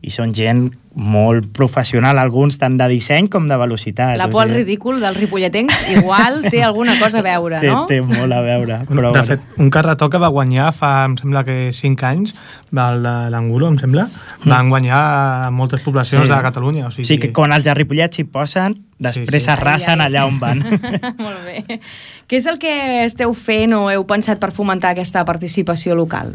i són gent molt professional, alguns tant de disseny com de velocitat. La por al ridícul dels ripolletens igual té alguna cosa a veure, no? Té molt a veure. Però de fet, un carretó que va guanyar fa, em sembla que 5 anys, el de l'Angulo, em sembla, van guanyar moltes poblacions de Catalunya. O sigui que quan els de Ripollet s'hi posen, després s'arrasen allà on van. Molt bé. Què és el que esteu fent o heu pensat per fomentar aquesta participació local?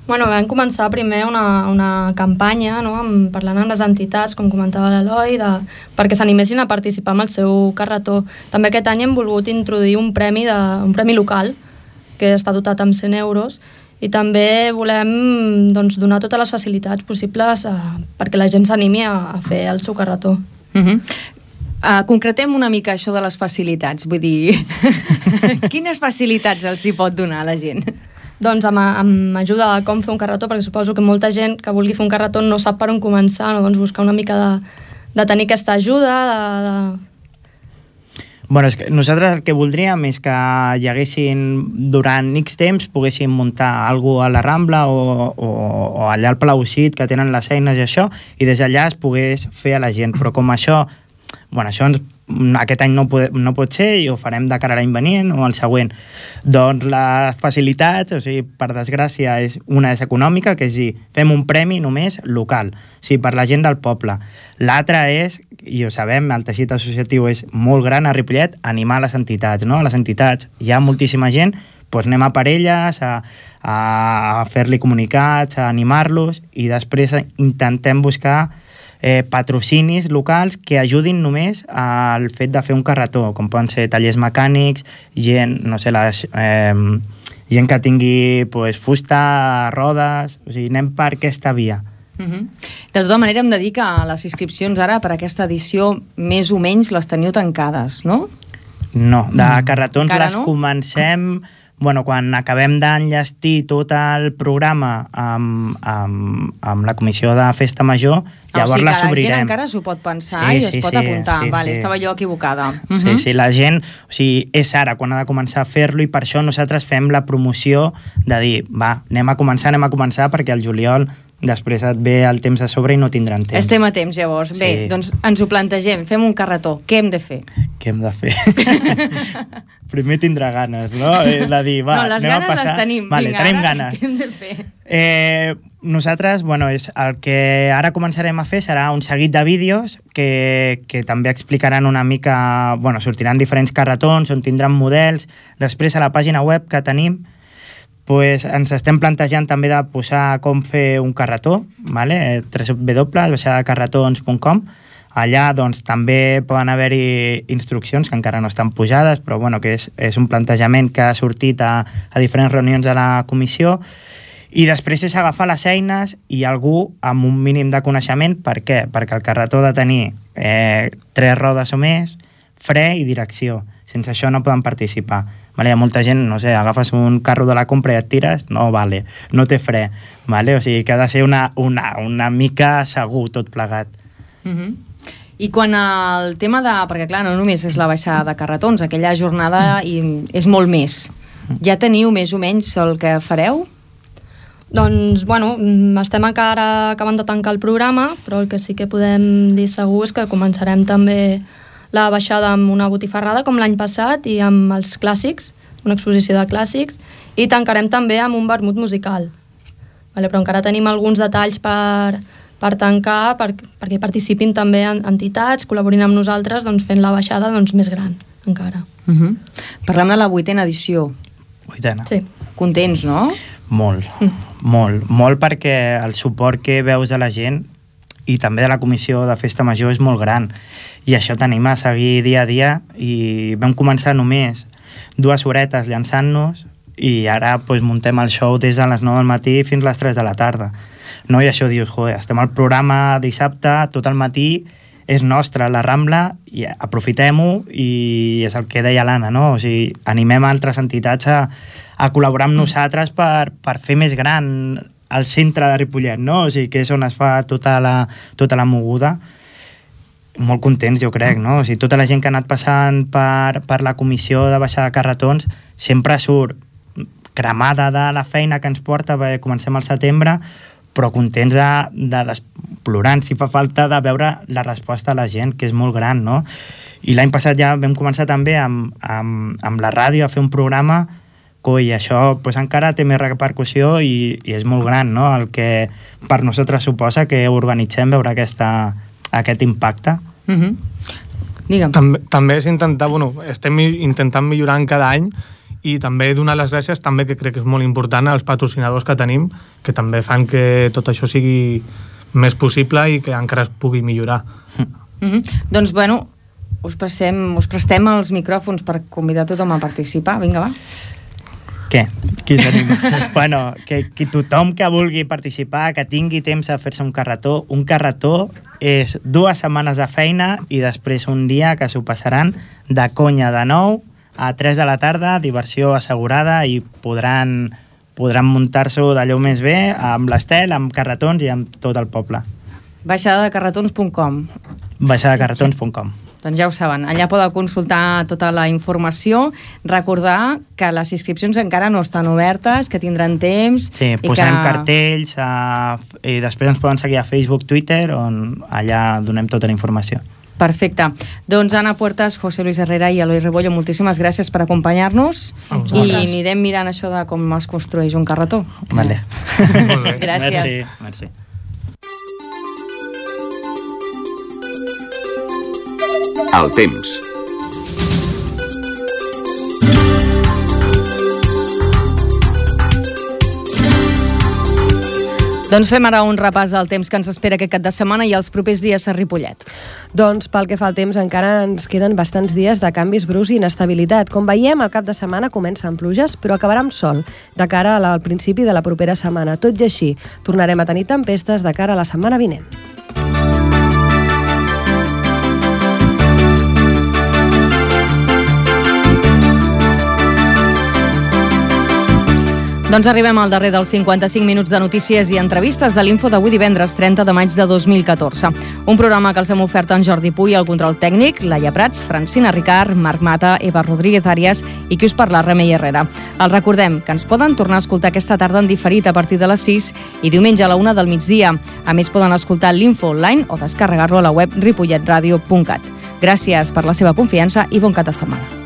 Bueno, vam començar primer una campanya, no?, parlant amb les entitats, com comentava l'Eloi, perquè s'animessin a participar amb el seu carretó. També aquest any hem volgut introduir un premi local, que està dotat amb 100 euros, i també volem donar totes les facilitats possibles perquè la gent s'animi a fer el seu carretó. Concretem una mica això de les facilitats, vull dir, quines facilitats els hi pot donar a la gent? Doncs amb ajuda a com fer un carretó, perquè suposo que molta gent que vulgui fer un carretó no sap per on començar, no? Doncs buscar una mica de tenir aquesta ajuda. Bueno, és que nosaltres el que voldríem és que hi haguessin, durant X temps, poguessin muntar alguna cosa a la Rambla o allà al Palaucit, que tenen les eines i això, i des d'allà es pogués fer a la gent. Però com això aquest any no pot ser i ho farem de cara a l'any venient o al següent. Doncs les facilitats, o sigui, per desgràcia, una és econòmica, que és dir, fem un premi només local, o sigui, per la gent del poble. L'altra és, i ho sabem, el teixit associatiu és molt gran a Ripollet, animar les entitats, no? A les entitats hi ha moltíssima gent, doncs anem a per elles, a fer-li comunicats, a animar-los, i després intentem buscar patrocinis locals que ajudin només al fet de fer un carretó, com poden ser tallers mecànics, gent, no sé, gent que tingui fusta, rodes, o sigui, anem per aquesta via. De tota manera, hem de dir que les inscripcions ara per aquesta edició més o menys les teniu tancades, no? No, de carretons les comencem... Bueno, quan acabem d'enllestir tot el programa amb la comissió de Festa Major, llavors les obrirem. O sigui que la gent encara s'ho pot pensar i es pot apuntar. Vale, estava jo equivocada. Sí, la gent, o sigui, és ara quan ha de començar a fer-lo, i per això nosaltres fem la promoció de dir, va, anem a començar, perquè al juliol després et ve el temps a sobre i no tindran temps. Estem a temps, llavors. Sí. Bé, doncs ens ho plantegem, fem un carretó. Què hem de fer? Què hem de fer? Primer tindrà ganes, no? De dir, va, no, les anem ganes a passar... les tenim. Vale, vinga, tenim ara, ganes. Què hem de fer? Nosaltres, bueno, el que ara començarem a fer serà un seguit de vídeos que també explicaran una mica... Bueno, sortiran diferents carretons on tindran models. Després, a la pàgina web que tenim, ens estem plantejant també de posar com fer un carretó, www.baixadacarretons.com. Allà doncs, també poden haver-hi instruccions que encara no estan pujades, però bueno, que és un plantejament que ha sortit a diferents reunions de la comissió. I després és agafar les eines i algú amb un mínim de coneixement. Per què? Perquè el carretó ha de tenir 3 rodes o més, fre i direcció. Sense això no poden participar. Hi ha molta gent, no sé, agafes un carro de la compra i et tires, no vale, no té fre. O sigui que ha de ser una mica segur tot plegat. I quan el tema de... Perquè clar, no només és la baixada de carretons, aquella jornada és molt més. Ja teniu més o menys el que fareu? Doncs, bueno, estem encara acabant de tancar el programa, però el que sí que podem dir segur és que començarem també la baixada amb una botifarrada com l'any passat i amb els clàssics, una exposició de clàssics, i tancarem també amb un vermut musical. Però encara tenim alguns detalls per tancar perquè participin també entitats, col·laborin amb nosaltres fent la baixada més gran encara. Parlem de la 8ª edició. 8ª. Sí. Contents, no? Molt perquè el suport que veus de la gent i també de la comissió de Festa Major és molt gran, i això t'anima a seguir dia a dia. I vam començar només 2 horetes llançant-nos i ara muntem el show des de les 9 del matí fins a les 3 de la tarda, no? I això dius, joder, estem al programa dissabte, tot el matí és nostre, la Rambla, i aprofitem-ho, i és el que deia l'Anna, no? O sigui, animem altres entitats a col·laborar amb nosaltres per fer més gran al centre de Ripollet, no? O sigui, que és on es fa tota la moguda. Molt contents, jo crec, no? O sigui, tota la gent que ha anat passant per la comissió de baixada de carretons sempre surt cremada de la feina que ens porta, perquè comencem al setembre, però contents plorant, si fa falta, de veure la resposta a la gent, que és molt gran, no? I l'any passat ja vam començar també amb la ràdio a fer un programa, i això encara té més repercussió i és molt gran, no? El que per nosaltres suposa que organitzem veure aquest impacte. Digue'm. També és intentar, estem intentant millorar cada any, i també donar les gràcies, també, que crec que és molt important, als patrocinadors que tenim, que també fan que tot això sigui més possible i que encara es pugui millorar. Doncs, bueno, us prestem els micròfons per convidar tothom a participar. Vinga, va. Què? Qui s'anima? Bueno, que tothom que vulgui participar, que tingui temps a fer-se un carretó és 2 setmanes de feina i després un dia que s'ho passaran de conya de 9 a 3 de la tarda, diversió assegurada i podran muntar-s'ho d'allò més bé amb l'Estel, amb carretons i amb tot el poble. Baixadadecarretons.com. Baixadadecarretons.com. Doncs ja ho saben, allà podeu consultar tota la informació, recordar que les inscripcions encara no estan obertes, que tindran temps... Sí, posem cartells i després ens poden seguir a Facebook, Twitter, on allà donem tota la informació. Perfecte. Doncs Anna Puertas, José Luis Herrera i Eloi Rebollo, moltíssimes gràcies per acompanyar-nos i anirem mirant això de com es construeix un carretó. Vale. Gràcies. Merci. El temps. Doncs fem ara un repàs del temps que ens espera aquest cap de setmana i els propers dies a Ripollet. Doncs pel que fa al temps encara ens queden bastants dies de canvis bruscs i inestabilitat. Com veiem, el cap de setmana comença amb pluges, però acabarà amb sol de cara al principi de la propera setmana. Tot i així, tornarem a tenir tempestes de cara a la setmana vinent. Doncs arribem al darrer dels 55 minuts de notícies i entrevistes de l'Info d'avui divendres 30 de maig de 2014. Un programa que els hem ofert en Jordi Puy, el control tècnic, Laia Prats, Francina Ricard, Marc Mata, Eva Rodríguez Arias i qui us parla, Remei Herrera. Els recordem que ens poden tornar a escoltar aquesta tarda en diferit a partir de les 6 i diumenge a la 1 del migdia. A més, poden escoltar l'Info online o descarregar-lo a la web ripolletradio.cat. Gràcies per la seva confiança i bon cap de setmana.